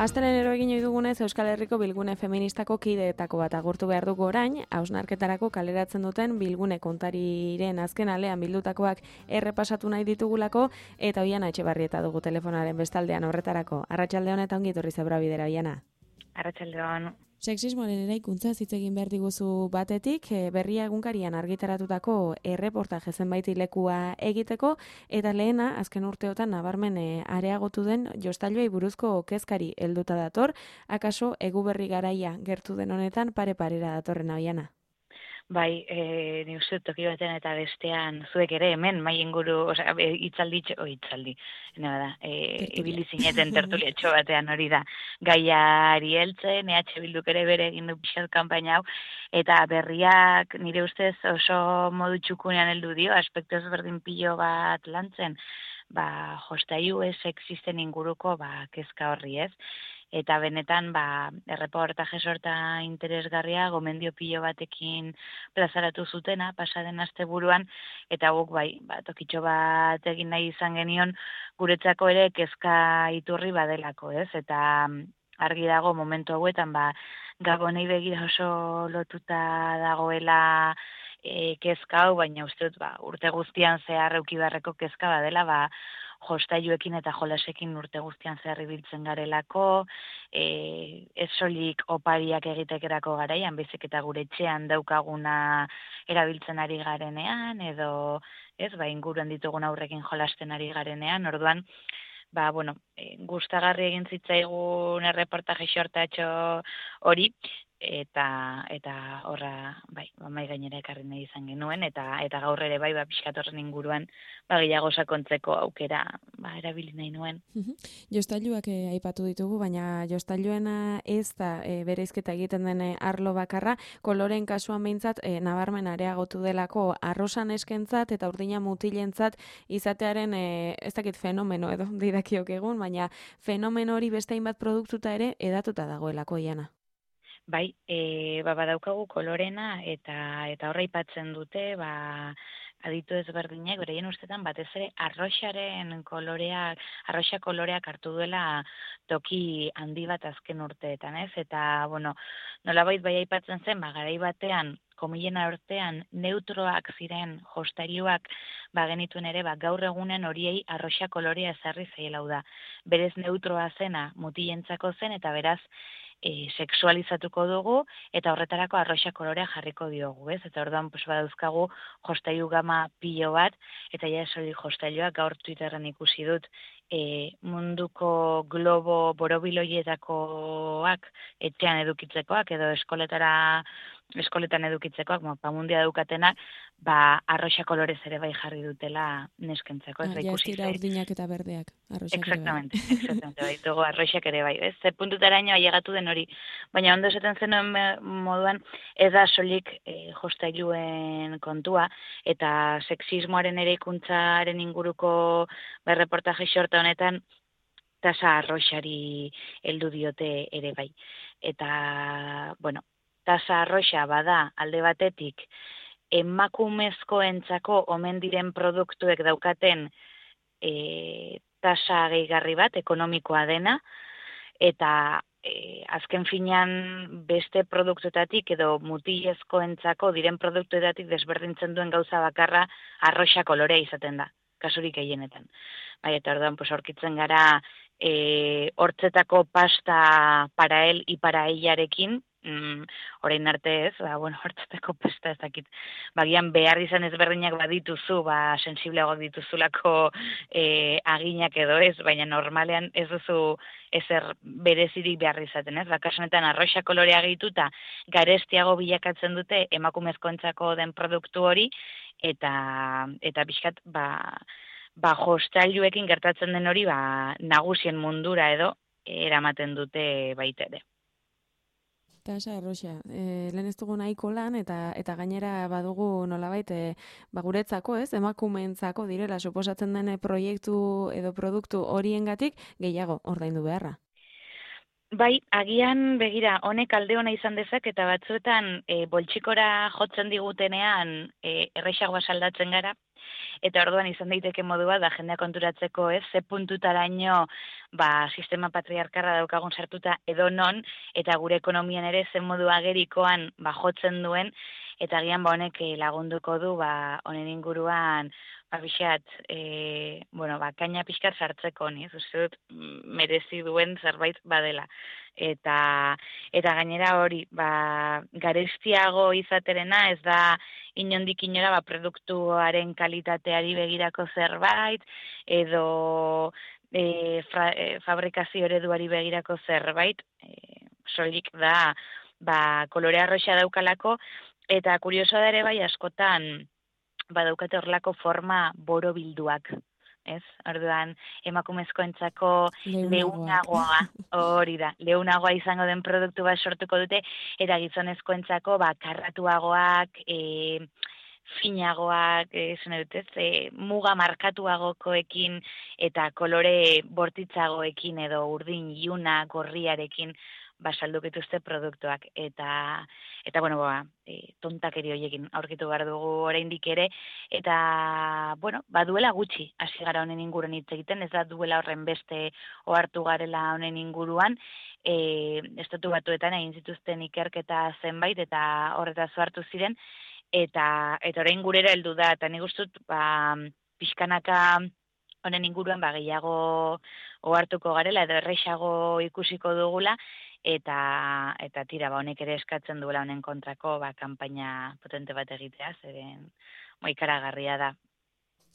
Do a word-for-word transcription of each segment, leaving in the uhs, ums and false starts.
Astelehen egin ohi dugunez Euskal Herriko Bilgune Feministako kideetako bat agurtu behar dugu orain, hausnarketarako kaleratzen duten Bilgune kontariren azken alean bildutakoak errepasatu nahi ditugulako, eta Oiana Etxebarrieta dugu telefonaren bestaldean horretarako. Arratsalde on eta ongi etorri Zebra Bidera, Oiana. Arratsalde on. Sexismoaren eraikuntza hitz egin behar diguzu batetik, Berria egunkarian argitaratutako erreportaje zenbait lekua egiteko, eta lehena, azken urteotan nabarmen areagotu den jostailuei buruzko kezkari helduta dator, akaso Eguberri garaia gertu den honetan pare-parera datorren, Oiana. Bai, e, ni uste toki batean eta bestean zuek ere hemen mai inguru, osea, hitzaldi, o hitzaldi, nena da, e, ibili zineten tertuliatxo batean hori da, gaiari heltzen, E H Bilduk ere bere egin du pixat kanpaina hau, eta berriak nire ustez oso modu txukunean heldu dio, aspektu ezberdin pilo bat lantzen, ba, jostailu ez existen inguruko, ba, kezka horri ez, eta benetan ba erreportaje sorta interesgarria gomendio pilo batekin plazaratu zutena pasaden asteburuan, eta guk bai ba tokitxo bat egin nahi izan genion guretzako ere kezka iturri badelako, ez? Eta argi dago momentu hauetan ba Gabonei begira oso lotuta dagoela e, kezka hau, baina uste dut ba urte guztian zehar eduki beharreko kezka badela, ba jostailuekin eta jolasekin urte guztian zehar ibiltzen garelako, e, ez soilik opariak egitekerako garaian, baizik eta gure etxean daukaguna erabiltzen ari garenean, edo ez, ba, inguruan ditugun aurrekin jolasten ari garenean, orduan, ba, bueno, e, gustagarri egin zitzaigun erreportaje xortatxo hori, eta eta horra bai mai gainera ekarri nahi izan genuen, eta eta gaur ere bai ba pixkat horren inguruan ba gehiago sakontzeko aukera ba erabili nahi nuen. Jostailuak eh, aipatu ditugu, baina jostailuena ez da eh, bereizketa egiten den eh, arlo bakarra, koloren kasuan behintzat eh, nabarmen areagotu delako arrosan eskentzat eta urdina mutilentzat izatearen eh, ez dakit fenomeno edo didakiok egun, baina fenomeno hori beste hainbat produktuta ere edatuta dagoelako, Oiana. Bai, e, ba, badaukagu kolorena eta eta horra aipatzen dute, ba, aditu ezberdinak, bereien ustetan batez ere arroxaren koloreak, arroxa koloreak hartu duela toki handi bat azken urteetan, ez? Eta, bueno, nolabait bai aipatzen zen, ba, garai batean, komilen artean neutroak ziren jostailuak ba genituen ere, ba, gaur egunen horiei arroxa kolorea ezarri zaiela da. Berez neutroa zena mutilentzako zen, eta beraz, E, sexualizatuko dugu, eta horretarako arroxa kolorea jarriko diogu, ez? Eta orduan, pues, badauzkagu jostailu gama pilo bat, eta ja esoli jostailuak gaur Twitterren ikusi dut, e, munduko globo borobiloietakoak etxean edukitzekoak, edo eskoletara eskoletan edukitzekoak, mo, pamundia daukatenak, ba, arroxa kolorez ere bai jarri dutela neskentzeko. Ez, ah, ja, ez dira urdinak eta berdeak, arroxak exactamente, ere bai. Exactamente, baitugu arroxak ere bai, ez? Ze puntutaraino ailegatu den hori. Baina ondo esaten zenuen moduan, ez da solik e, jostailuen kontua, eta sexismoaren ere ikuntzaren inguruko ba, reportaje xorta honetan, tasa arroxari heldu diote ere bai. Eta, bueno, tasa arroxa bada alde batetik, emakumezkoentzako omen diren produktuek daukaten e, tasa gehigarri bat, ekonomikoa dena, eta e, azken finean beste produktuetatik edo mutilezkoentzako diren produktuetatik desberdintzen duen gauza bakarra arroxa kolorea izaten da, kasurik gehienetan. Bai, eta orduan, pues, aurkitzen gara e, hortzetako pasta para él y para elarekin, Mm, orain arte ez, ba, bueno, hortzetako pesta ez dakit, bagian behar izan ezberdinak badituzu, ba, sensibleago dituzulako e, aginak edo ez, baina normalean ez duzu ezer berezirik behar izaten ez, bakasunetan arroxa kolorea gehituta garestiago bilakatzen dute emakumezkoentzako den produktu hori, eta eta pixkat, ba, ba jostailuekin gertatzen den hori, ba, nagusien mundura edo, eramaten dute baita ere. Eta esa, Roxa, e, lehen ez dugu nahiko lan, eta eta gainera badugu nolabait, e, ba, guretzako, ez, emakumeentzako direla, suposatzen den proiektu edo produktu horiengatik gehiago ordaindu beharra. Bai, agian begira, honek alde ona izan dezak, eta batzuetan e, boltsikora jotzen digutenean e, errexagoa saldatzen gara, eta orduan izan daiteke modua da jendea konturatzeko, ez, ze puntutaraino ba, sistema patriarkarra daukagun sartuta edo non, eta gure ekonomian ere zen modu agerikoan ba, jotzen duen, eta agian ba, honek lagunduko du ba, honen inguruan ba, bixat, e, bueno, ba, kaina pixkat sartzeko, ni, ez uste dut merezi duen zerbait badela. Eta, eta gainera hori, ba, garestiago izaterena ez da inondik inora ba, produktuaren kalitateari begirako zerbait, edo e, fra, e, fabrikazio ereduari begirako zerbait, e, soilik da ba, kolore arroxa daukalako, eta kurioso da ere bai askotan badaukate horrelako forma borobilduak, ez? Orduan, emakumezkoentzako leunagoa, hori da, leunagoa izango den produktu bat sortuko dute, eta gizonezkoentzako ba, karratuagoak, e, finagoak, esan dut ez, e, muga markatuagokoekin eta kolore bortitzagoekin edo urdin iuna gorriarekin basaldukituzte produktuak. Eta, eta bueno, ba, e, tontakeri horiekin aurkitu behar dugu oraindik ere, eta, bueno, baduela gutxi hasi gara honen inguruan hitz egiten, ez da duela horren beste ohartu garela honen inguruan, e, estatu batuetan egin zituzten ikerketa zenbait, eta horretaz hartu ziren, eta eta orain gurera heldu da, eta nik uste dut ba, pixkanaka honen inguruan ba, gehiago ohartuko garela, edo errexago ikusiko dugula, eta eta tira ba honek ere eskatzen duela honen kontrako ba kanpaina potente bat egitea, zeren mo ikaragarria da.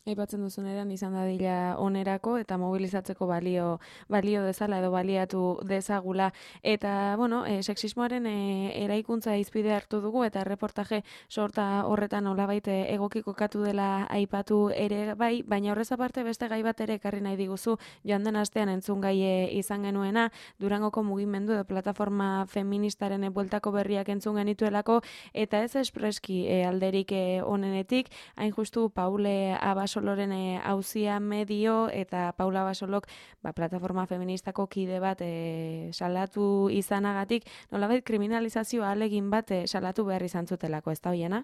Aipatzen duzunean izan dadila onerako eta mobilizatzeko balio balio dezala edo baliatu dezagula, eta bueno, e, sexismoaren e, eraikuntza izpide hartu dugu, eta reportaje sorta horretan nolabait egoki kokatu dela aipatu ere bai, baina horrez aparte beste gai bat ere ekarri nahi diguzu, joan den astean entzun gai izan genuena, Durangoko mugimendu edo plataforma feministaren bueltako berriak entzun genituelako, eta ez espreski e, alderik e, onenetik, hain justu Paule Abaso Basoloren auzia medio, eta Paula Basolok ba, plataforma feministako kide bat e, salatu izanagatik, nolabait kriminalizazioa alegin bat e, salatu behar izan zutelako, ez da hoiena?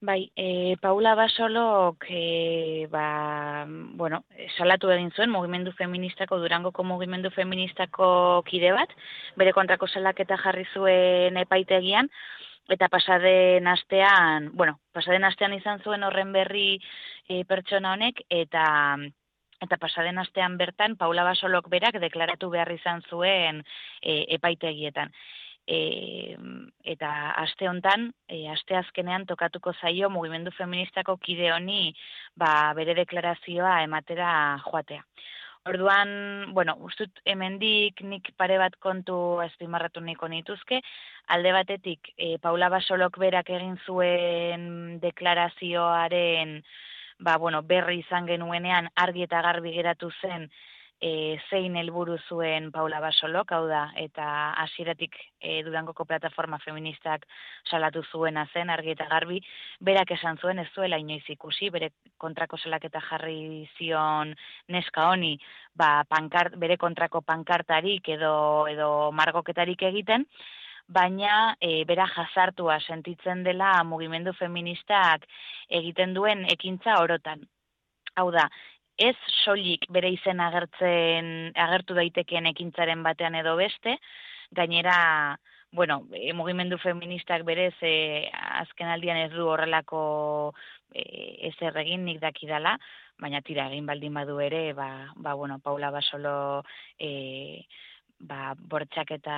Bai, e, Paula Basolok e, ba, bueno, salatu egin zuen mugimendu feministako, Durangoko mugimendu feministako kide bat, bere kontrako salaketa jarri zuen epaitegian, eta pasaden astean, bueno, pasaden astean izan zuen horren berri e, pertsona honek, eta eta pasaden astean bertan Paula Basolok berak deklaratu behar izan zuen e, epaitegietan. E, eta aste hontan, e, aste azkenean tokatuko zaio mugimendu feministako kide honi ba, bere deklarazioa ematera joatea. Orduan, bueno, ustut hemendik nik pare bat kontu azpimarratu niko nituzke, alde batetik e, Paula Basolok berak egin zuen deklarazioaren ba, bueno, berri izan genuenean argi eta garbi geratu zen e, zein helburu zuen Paula Basolok, hau da, eta hasieratik e, Durangoko plataforma feministak salatu zuena zen argi eta garbi, berak esan zuen ez zuela inoiz ikusi, bere kontrako salaketa jarri zion neska honi, ba, pankart, bere kontrako pankartarik edo, edo margoketarik egiten, baina e, bera jazartua sentitzen dela mugimendu feministak egiten duen ekintza orotan. Hau da, ez soilik bere izen agertzen agertu daitekeen ekintzaren batean edo beste, gainera, bueno, e, mugimendu feministak berez e, azken aldian ez du horrelako e, ezer egin nik dakidala, baina tira egin baldin badu ere, ba, ba bueno, Paula Basolo e, ba, bortxaketa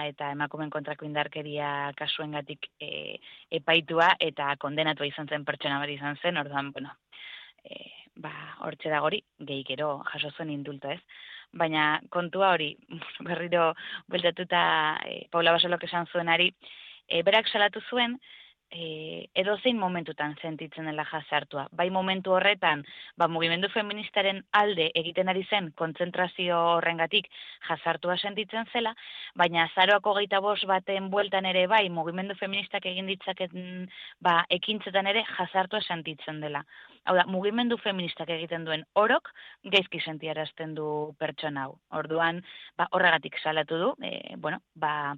eta emakumeen kontrako indarkeria kasuengatik e, epaitua eta kondenatua izan zen pertsona bat izan zen, orduan, bueno, e, ba, hortxe da gori, gehikero jaso zuen indulto ez. Baina kontua hori, berriro bueltatuta e, Paula Basolok esan zuenari, e, berak salatu zuen, e, edozein momentutan sentitzen dela jazartua. Bai momentu horretan, ba, mugimendu feministaren alde egiten ari zen kontzentrazio horrengatik jazartua sentitzen zela, baina azaroako hogeita bost baten bueltan ere bai, mugimendu feministak egin ditzaketen ba, ekintzetan ere jazartua sentitzen dela. Hau da, mugimendu feministak egiten duen orok gaizki sentiarazten du pertsona hau. Orduan, ba, horregatik salatu du, e, bueno, ba,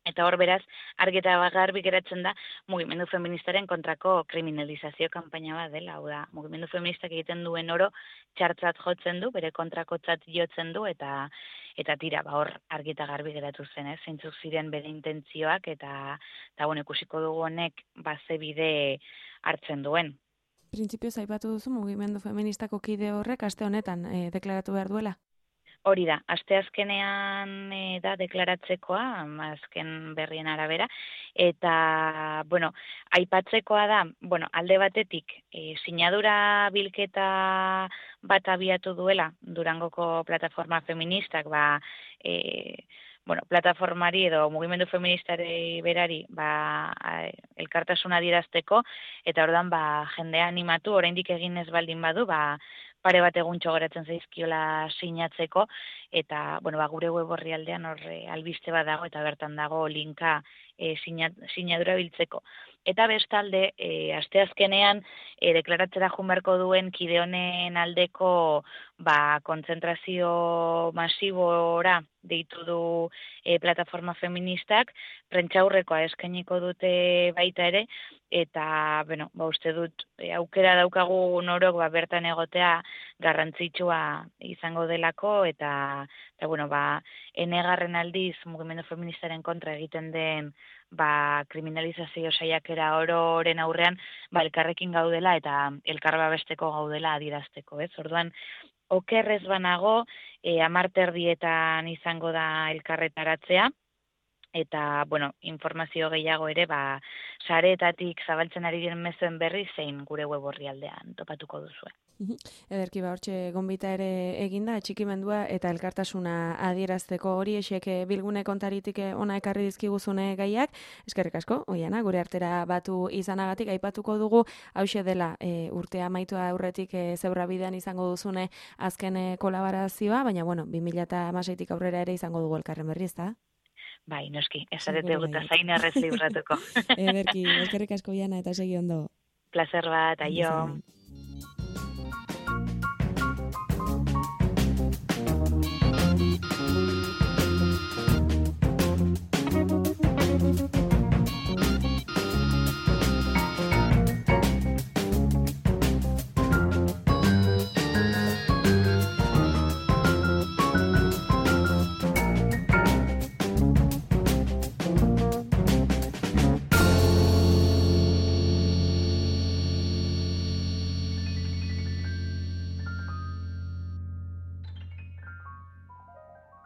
eta hor beraz, argi eta garbi geratzen da, mugimendu feministaren kontrako kriminalizazio kanpaina bat dela. Hau da, mugimendu feministak egiten duen oro txartzat jotzen du, bere kontrakotzat jotzen du, eta eta tira, ba, hor argi eta garbi geratu zen, eh? Zeintzuk ziren bere intentzioak, eta, eta bueno, ikusiko dugu honek baze bide hartzen duen. Printzipioz aipatu duzu mugimendu feministako kide horrek aste honetan e, deklaratu behar duela? Hori da, asteazkenean e, da deklaratzekoa, azken berrien arabera, eta, bueno, aipatzekoa da, bueno, alde batetik, e, sinadura bilketa bat abiatu duela, Durangoko plataforma feministak, ba, e, bueno, plataformari edo mugimendu feministari berari, ba, elkartasuna adierazteko, eta ordan, ba, jendea animatu, oraindik egin ez baldin badu, ba, pare bat eguntxo geratzen zaizkiola sinatzeko, eta, bueno, ba, gure web orrialdean hor albiste bat dago, eta bertan dago linka e, sinadura biltzeko. Eta bestalde, e, asteazkenean, e, deklaratzera junberko duen kide honen aldeko ba, kontzentrazio masibora deitu du e, plataforma feministak, prentxaurrekoa eskainiko dute baita ere, eta, bueno, ba, uste dut, e, aukera daukagu norok ba, bertan egotea garrantzitsua izango delako, eta, eta bueno, ba, enegarren aldiz mugimendu feministaren kontra egiten den ba, kriminalizazio saiakera ororen aurrean, ba, elkarrekin gaudela eta elkar babesteko gaudela adierazteko, ez? Orduan, okerrez banago, e, amarterdietan izango da elkarretaratzea, eta, bueno, informazio gehiago ere, ba, sareetatik zabaltzen ari diren mezuen berri zein gure web orrialdean topatuko duzue. Ederki ba, hortxe gonbita ere eginda, atxikimendua eta elkartasuna adierazteko hori esek bilgune kontaritik ona ekarri dizkiguzune gaiak. Eskerrik asko, Oiana, gure artera batu izanagatik aipatuko dugu, hauxe dela e, urtea amaitu aurretik e, zeurra bidean izango duzune azken e, kolaborazioa, baina bueno, bi mila hamaseitik aurrera ere izango dugu elkarren berri, ezta? Bai, noski, esarete guta zain errez libratuko. Ederki, eskerrik asko, Oiana, eta segi ondo. Placer bat, aio.